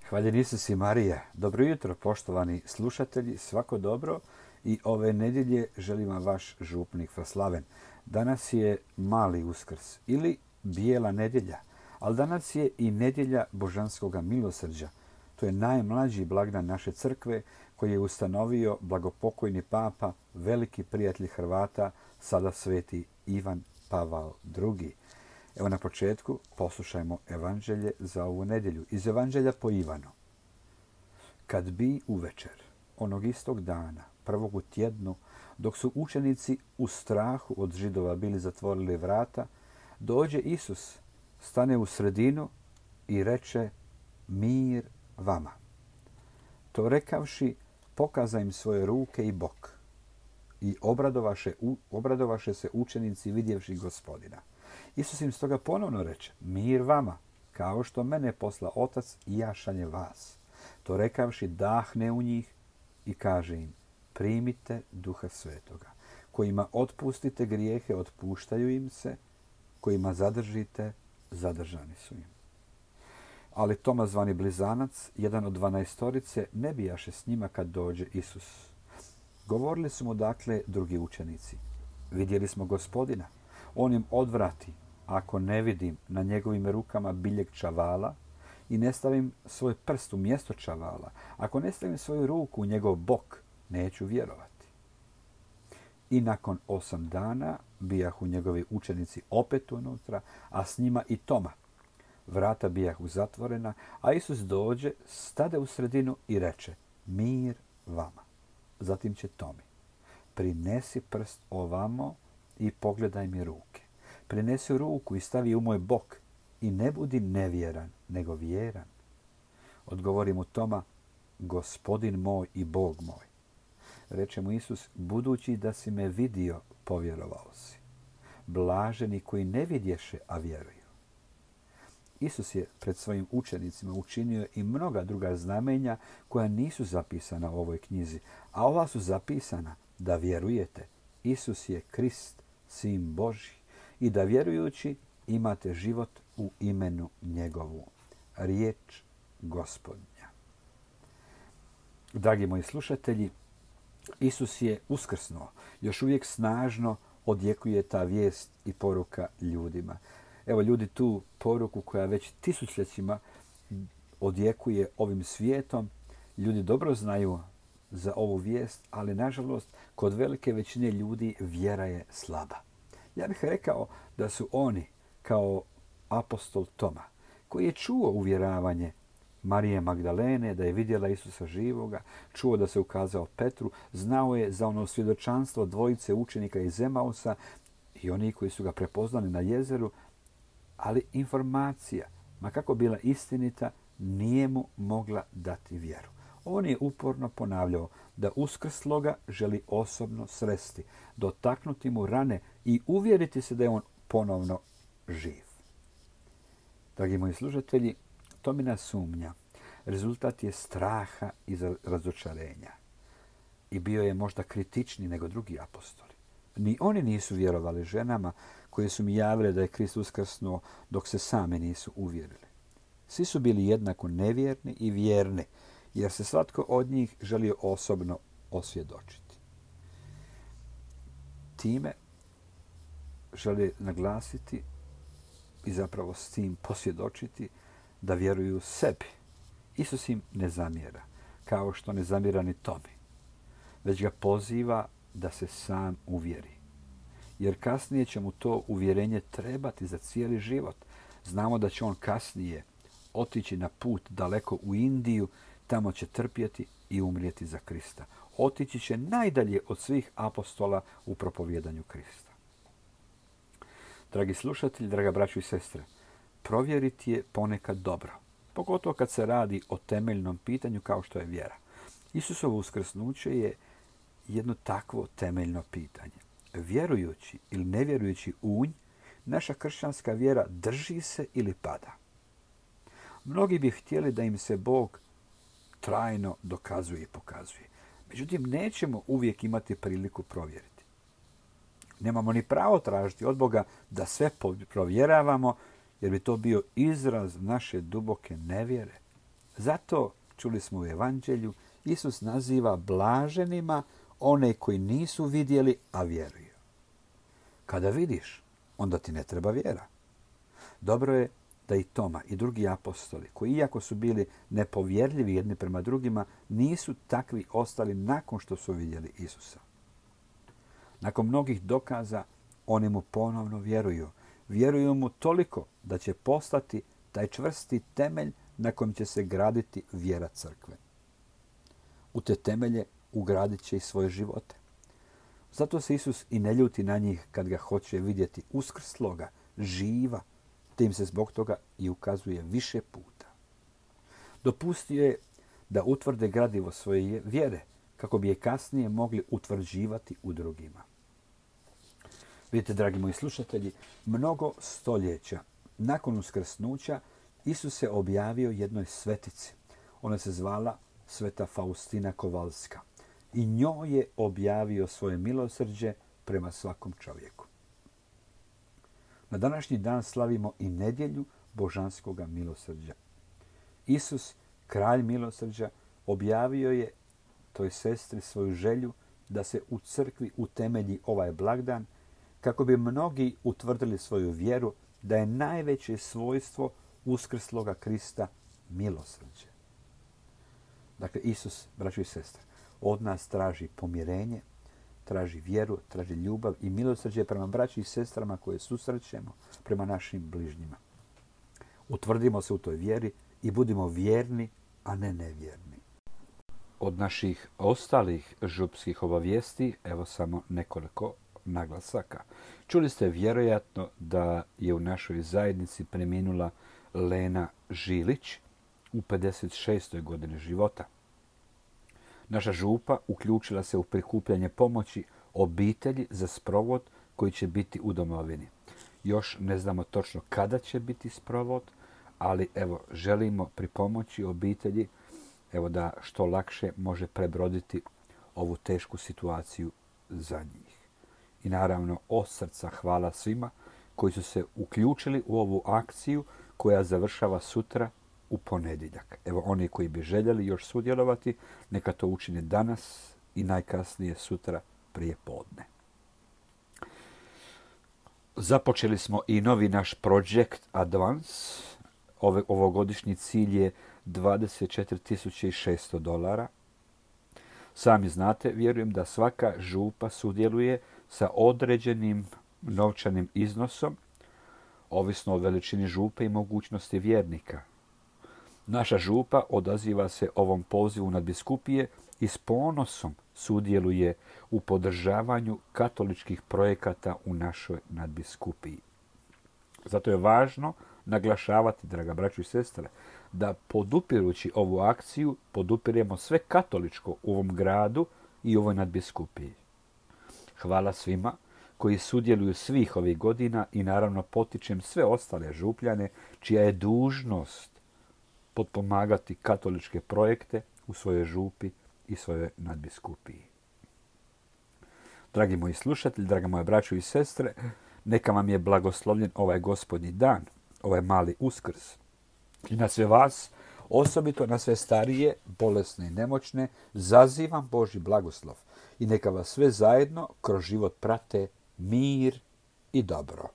Hvaljen Isus i Marija. Dobro jutro, poštovani slušatelji, svako dobro i ove nedjelje želim vam vaš župnik Fraslaven. Danas je mali Uskrs ili bijela nedjelja, ali danas je i nedjelja Božanskoga milosrđa. To je najmlađi blagdan naše crkve koji je ustanovio blagopokojni papa, veliki prijatelj Hrvata, sada sveti Ivan Pavao II. Evo na početku poslušajmo evanđelje za ovu nedjelju. Iz evanđelja po Ivanu. Kad bi uvečer, onog istog dana, prvog u tjednu, dok su učenici u strahu od Židova bili zatvorili vrata, dođe Isus, stane u sredinu i reče: mir vama. To rekavši, pokaza im svoje ruke i bok. I obradovaše se učenici vidjevši Gospodina. Isus im stoga ponovno reče: mir vama, kao što mene posla Otac i ja šaljem vas. To rekavši, dahne u njih i kaže im: primite Duha Svetoga. Kojima otpustite grijehe, otpuštaju im se, kojima zadržite, zadržani su im. Ali Toma, zvani Blizanac, jedan od 12-torice, ne bijaše s njima kad dođe Isus. Govorili su mu dakle drugi učenici: vidjeli smo Gospodina. On im odvrati: ako ne vidim na njegovim rukama biljeg čavala i ne stavim svoj prst u mjesto čavala, ako ne stavim svoju ruku u njegov bok, neću vjerovati. I nakon 8 dana bijahu njegovi učenici opet unutra, a s njima i Toma. Vrata bijahu zatvorena, a Isus dođe, stade u sredinu i reče: mir vama. Zatim će Tomi: prinesi prst ovamo i pogledaj mi ruke. Prinesi ruku i stavi u moj bok i ne budi nevjeran, nego vjeran. Odgovori mu Toma: Gospodin moj i Bog moj. Reče mu Isus: budući da si me vidio, povjerovao si. Blaženi koji ne vidješe, a vjeruju. Isus je pred svojim učenicima učinio i mnoga druga znamenja koja nisu zapisana u ovoj knjizi, a ova su zapisana da vjerujete: Isus je Krist, Sin Božji, i da vjerujući imate život u imenu njegovu. Riječ Gospodnja. Dragi moji slušatelji, Isus je uskrsnuo. Još uvijek snažno odjekuje ta vijest i poruka ljudima. Evo, ljudi tu poruku koja već tisućljećima odjekuje ovim svijetom, ljudi dobro znaju za ovu vijest, ali nažalost kod velike većine ljudi vjera je slaba. Ja bih rekao da su oni kao apostol Toma, koji je čuo uvjeravanje Marije Magdalene da je vidjela Isusa živoga, čuo da se ukazao Petru, znao je za ono svjedočanstvo dvojice učenika iz Emausa i oni koji su ga prepoznali na jezeru, ali informacija, ma kako bila istinita, nije mu mogla dati vjeru. On je uporno ponavljao da uskrsloga želi osobno sresti, dotaknuti mu rane i uvjeriti se da je on ponovno živ. Dragi moji slušatelji, Tomina sumnja rezultat je straha i razočarenja. I bio je možda kritičniji nego drugi apostoli. Ni oni nisu vjerovali ženama koje su mi javile da je Krist uskrsnuo dok se sami nisu uvjerili. Svi su bili jednako nevjerni i vjerni, jer se svatko od njih želio osobno osvjedočiti. Time žele naglasiti i zapravo s tim posvjedočiti da vjeruju sebi. Isus im ne zamjera, kao što ne zamjera ni Tomi, već ga poziva da se sam uvjeri. Jer kasnije će mu to uvjerenje trebati za cijeli život. Znamo da će on kasnije otići na put daleko u Indiju, tamo će trpjeti i umrijeti za Krista. Otići će najdalje od svih apostola u propovjedanju Krista. Dragi slušatelji, draga braćo i sestre, provjeriti je ponekad dobro, pogotovo kad se radi o temeljnom pitanju kao što je vjera. Isusovo uskrsnuće je jedno takvo temeljno pitanje. Vjerujući ili nevjerujući u nj, naša kršćanska vjera drži se ili pada. Mnogi bi htjeli da im se Bog trajno dokazuje i pokazuje. Međutim, nećemo uvijek imati priliku provjeriti. Nemamo ni pravo tražiti od Boga da sve provjeravamo, jer bi to bio izraz naše duboke nevjere. Zato, čuli smo u Evanđelju, Isus naziva blaženima one koji nisu vidjeli, a vjeruju. Kada vidiš, onda ti ne treba vjera. Dobro je da i Toma i drugi apostoli, koji iako su bili nepovjerljivi jedni prema drugima, nisu takvi ostali nakon što su vidjeli Isusa. Nakon mnogih dokaza, oni mu ponovno vjeruju. Vjeruju mu toliko da će postati taj čvrsti temelj na kojem će se graditi vjera crkve. U te temelje ugradit će i svoje živote. Zato se Isus i ne ljuti na njih kad ga hoće vidjeti uskrsloga, živa, te im se zbog toga i ukazuje više puta. Dopustio je da utvrde gradivo svoje vjere, kako bi je kasnije mogli utvrđivati u drugima. Vidite, dragi moji slušatelji, mnogo stoljeća nakon uskrsnuća Isus se objavio jednoj svetici. Ona se zvala Sveta Faustina Kowalska. I njoj je objavio svoje milosrđe prema svakom čovjeku. Na današnji dan slavimo i nedjelju božanskoga milosrđa. Isus, kralj milosrđa, objavio je toj sestri svoju želju da se u crkvi utemelji ovaj blagdan, kako bi mnogi utvrdili svoju vjeru da je najveće svojstvo uskrsloga Krista milosrđe. Dakle, Isus, braćo i sestre, od nas traži pomirenje, traži vjeru, traži ljubav i milosrđe prema braći i sestrama koje susrećemo, prema našim bližnjima. Utvrdimo se u toj vjeri i budimo vjerni, a ne nevjerni. Od naših ostalih župskih obavijesti, evo samo nekoliko naglasaka. Čuli ste vjerojatno da je u našoj zajednici preminula Lena Žilić u 56. godini života. Naša župa uključila se u prikupljanje pomoći obitelji za sprovod koji će biti u domovini. Još ne znamo točno kada će biti sprovod, ali evo želimo pripomoći obitelji da što lakše može prebroditi ovu tešku situaciju za njih. I naravno od srca hvala svima koji su se uključili u ovu akciju koja završava sutra u ponedjeljak. Evo oni koji bi željeli još sudjelovati, neka to učine danas i najkasnije sutra prije podne. Započeli smo i novi naš Project Advance. Ovogodišnji cilj je $24.600. Sami znate, vjerujem da svaka župa sudjeluje sa određenim novčanim iznosom, ovisno o veličini župe i mogućnosti vjernika. Naša župa odaziva se ovom pozivu nadbiskupije i s ponosom sudjeluje u podržavanju katoličkih projekata u našoj nadbiskupiji. Zato je važno naglašavati, draga braćo i sestre, da podupirući ovu akciju podupiremo sve katoličko u ovom gradu i ovoj nadbiskupiji. Hvala svima koji sudjeluju svih ovih godina i naravno potičem sve ostale župljane čija je dužnost potpomagati katoličke projekte u svojoj župi i svojoj nadbiskupiji. Dragi moji slušatelji, draga moja braćo i sestre, neka vam je blagoslovljen ovaj Gospodnji dan, ovaj mali Uskrs. I na sve vas, osobito na sve starije, bolesne i nemoćne, zazivam Božji blagoslov. I neka vas sve zajedno kroz život prate mir i dobro.